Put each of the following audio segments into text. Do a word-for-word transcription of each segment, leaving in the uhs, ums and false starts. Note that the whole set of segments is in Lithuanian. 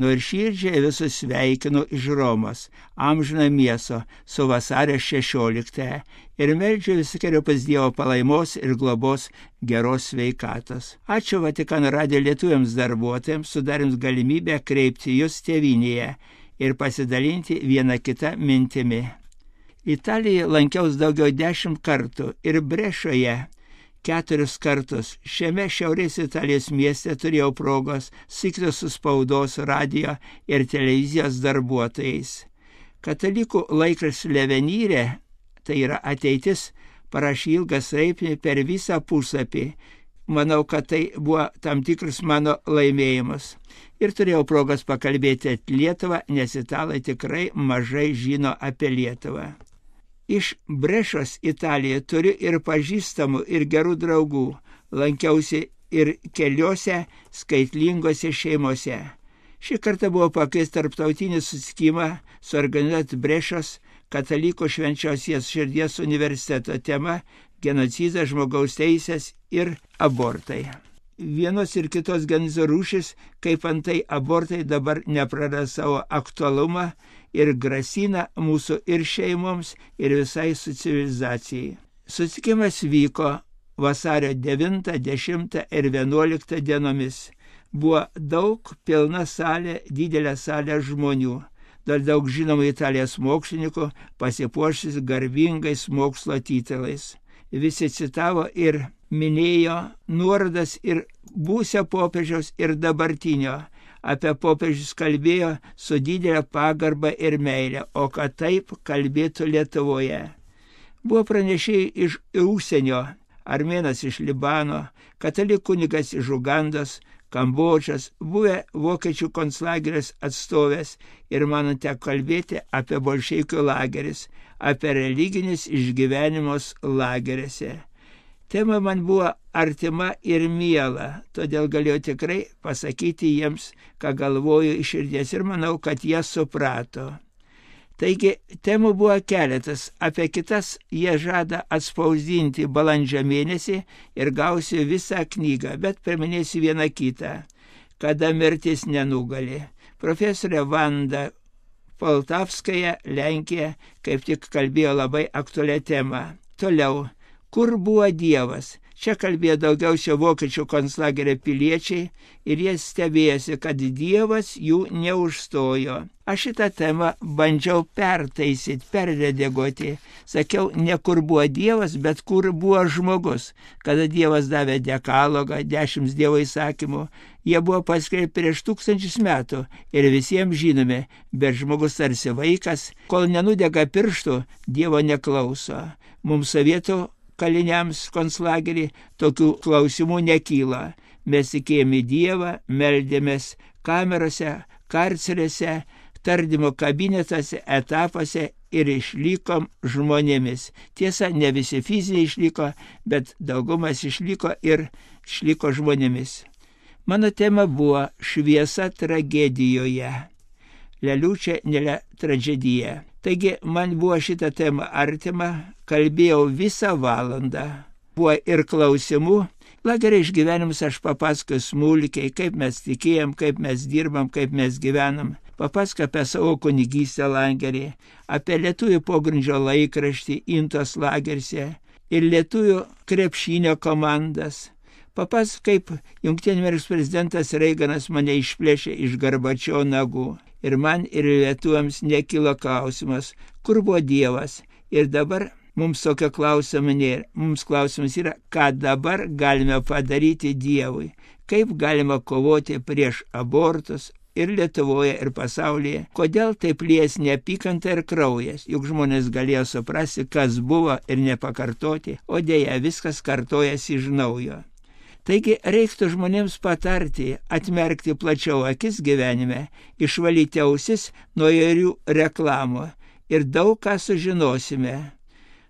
Nuoširdžiai visus sveikinu iš Romos, amžiną miesto, su vasario šešioliktąją ir meldžiu visokeriopas Dievo palaimos ir globos geros sveikatos. Ačiū Vatikano radijo lietuviams darbuotojams, sudarėms galimybę kreipti jūs tėvynėje ir pasidalinti vieną kitą mintimi. Italijoje lankiaus daugiau dešimt kartų ir Brešoje keturis kartus. Šiame šiaurės Italijos mieste turėjau progos susitikti su spaudos, radijo ir televizijos darbuotojais. Katalikų laikraštis L'Avvenire, tai yra ateitis, parašė ilgą straipsnį per visą puslapį. Manau, kad tai buvo tam tikras mano laimėjimas. Ir turėjau progos pakalbėti apie Lietuvą, nes italai tikrai mažai žino apie Lietuvą. Iš Brešos Italijoje turiu ir pažįstamų, ir gerų draugų. Lankiausi ir keliose skaitlingose šeimose. Šį kartą buvo pakviestas tarptautinį susitikimą suorganizuoti Brešos katalikų švenčiausios širdies universiteto tema genocidas, žmogaus teisės ir abortai. Vienos ir kitos genocido rūšis, kaip antai abortai, dabar nepraranda savo aktualumą ir grasina mūsų ir šeimoms, ir visai su civilizacijai. Susitikimas vyko vasario devintą, dešimtą ir vienuoliktą dienomis. Buvo daug, pilna salė, didelė salė žmonių. Dar daug žinomų Italijos mokslininkų pasipuošęs garbingais mokslo titulais. Visi citavo ir minėjo nuorodas ir būsio popiežiaus ir dabartinio. Apie popiežius kalbėjo su didelė pagarba ir meilė, o kad taip kalbėtų Lietuvoje. Buvo pranešėjai iš užsienio, armėnas iš Libano, katalikų kunigas iš Ugandos, Kambodžos, buvę vokiečių konclageris atstovės ir man teko kalbėti apie bolševikų lageris, apie religinius išgyvenimus lagerėse. Tema man buvo artima ir miela, todėl galėjau tikrai pasakyti jiems, ką galvoju iš širdies ir manau, kad jie suprato. Taigi, temų buvo keletas, apie kitas jie žada atspausdinti balandžio mėnesį ir gausiu visą knygą, bet priminėsiu vieną kitą, kada mirtis nenugali. Profesorė Vanda Poltavskaja, Lenkija, kaip tik kalbėjo labai aktualią temą. Toliau. Kur buvo Dievas? Čia kalbėjo daugiausia vokiečių konclagerio piliečiai ir jie stebėjosi, kad Dievas jų neužstojo. Aš šitą temą bandžiau pertaisyti, perredaguoti. Sakiau, ne kur buvo Dievas, bet kur buvo žmogus. Kada Dievas davė dekalogą, dešimt Dievo įsakymų, jie buvo paskelbti prieš tūkstančius metų ir visiems žinomi, bet žmogus tarsi vaikas, kol nenudega pirštų, Dievo neklauso. Mums sovietų kaliniams konclagerį tokių klausimų nekyla. Mes tikėjome Dievą, meldėmės kamerose, karcerėse, tardymo kabinetuose, etapuose ir išlikom žmonėmis. Tiesa, ne visi fiziniai išliko, bet daugumas išliko ir išliko žmonėmis. Mano tema buvo šviesa tragedijoje. La luce nella tragedia. Taigi man buvo šitą temą artima, kalbėjau visą valandą. Buvo ir klausimų. Lagerio išgyvenimus aš papasakoju smulkiai, kaip mes tikėjom, kaip mes dirbam, kaip mes gyvenam. Papasakoju apie savo kunigystę lagerį, apie lietuvių pogrindžio laikraštį Intos lagerse ir lietuvių krepšinio komandas. Papasakoju, kaip Jungtinių Amerikos prezidentas Reiganas mane išplėšė iš Gorbačiovo nagų. Ir man ir lietuviams nekilo klausimas, kur buvo Dievas. Ir dabar mums tokio klausimo nėra. Mums klausimas yra, ką dabar galime padaryti Dievui. Kaip galima kovoti prieš abortus ir Lietuvoje, ir pasaulyje. Kodėl taip lies neapykanta ir kraujas. Juk žmonės galėjo suprasti, kas buvo ir nepakartoti, o dėja viskas kartojasi iš naujo. Taigi reiktų žmonėms patarti, atmerkti plačiau akis gyvenime, išvalyti ausis nuo įvairių reklamų ir daug ką sužinosime.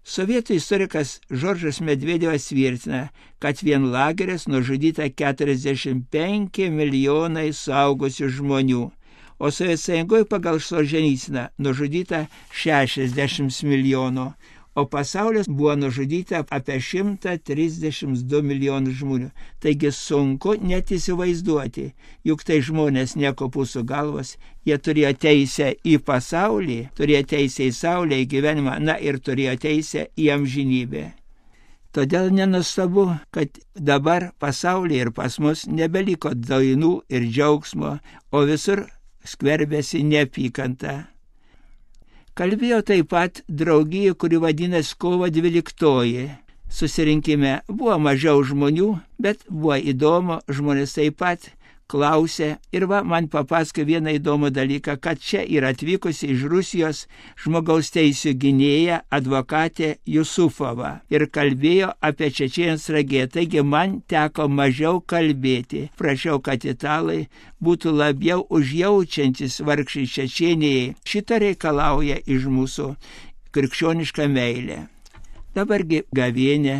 Sovietų istorikas Žoržas Medvedevas tvirtina, kad vien lageris nužudyta keturiasdešimt penki milijonai suaugusių žmonių, o Sovietų Sąjungoje pagal Solženicyną nužudyta šešiasdešimt milijonų, o pasaulis buvo nužudyta apie šimtas trisdešimt du milijonus žmonių. Taigi sunku net įsivaizduoti, juk tai žmonės nekopūsų galvos, jie turėjo teisę į pasaulį, turėjo teisę į saulę, į gyvenimą, na ir turėjo teisę į amžinybę. Todėl nenustabu, kad dabar pasaulyje ir pas mus nebeliko dainų ir džiaugsmo, o visur skverbėsi neapykanta. Kalbėjo taip pat draugija, kuri vadinasi Kovo dvyliktoji. Susirinkime buvo mažiau žmonių, bet buvo įdomu, žmonės taip pat klausė. Ir va, man papasakojo vieną įdomų dalyką, kad čia yra atvykusi iš Rusijos žmogaus teisių gynėja advokatė Jusufova ir kalbėjo apie čečėnijos tragediją. Taigi man teko mažiau kalbėti. Prašiau, kad italai būtų labiau užjaučiantis vargšai Čečėnijai. Šitą reikalauja iš mūsų krikščioniška meilė. Dabargi gavėnė.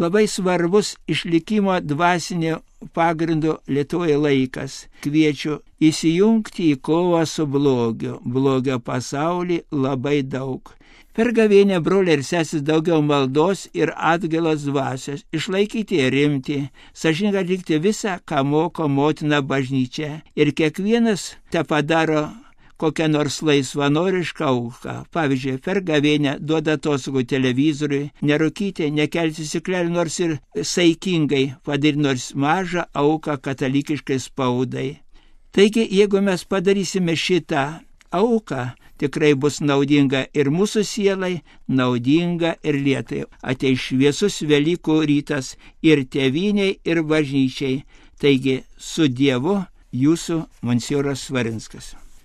Labai svarbus išlikimo dvasinio pagrindo Lietuvoje laikas. Kviečiu įsijungti į kovą su blogiu. Blogio pasauly labai daug. Per gavėnę, broliai ir sesis, daugiau maldos ir atgailos dvasios, išlaikyti rimtį, sąžiningai atlikti visą, ką moko motina bažnyčia. Ir kiekvienas te padaro kokią nors laisvanorišką auką. Pavyzdžiui, per gavėnę duoda atostogų televizoriui, nerūkyti, nekelti stiklelių, nors ir saikingai padaryti nors mažą auką katalikiškai spaudai. Taigi, jeigu mes padarysime šitą auką, tikrai bus naudinga ir mūsų sielai, naudinga ir Lietuvai. Ateis šviesus Velykų rytas ir tėvynei, ir bažnyčiai. Taigi, su Dievu, jūsų monsinjoras Svarinskas.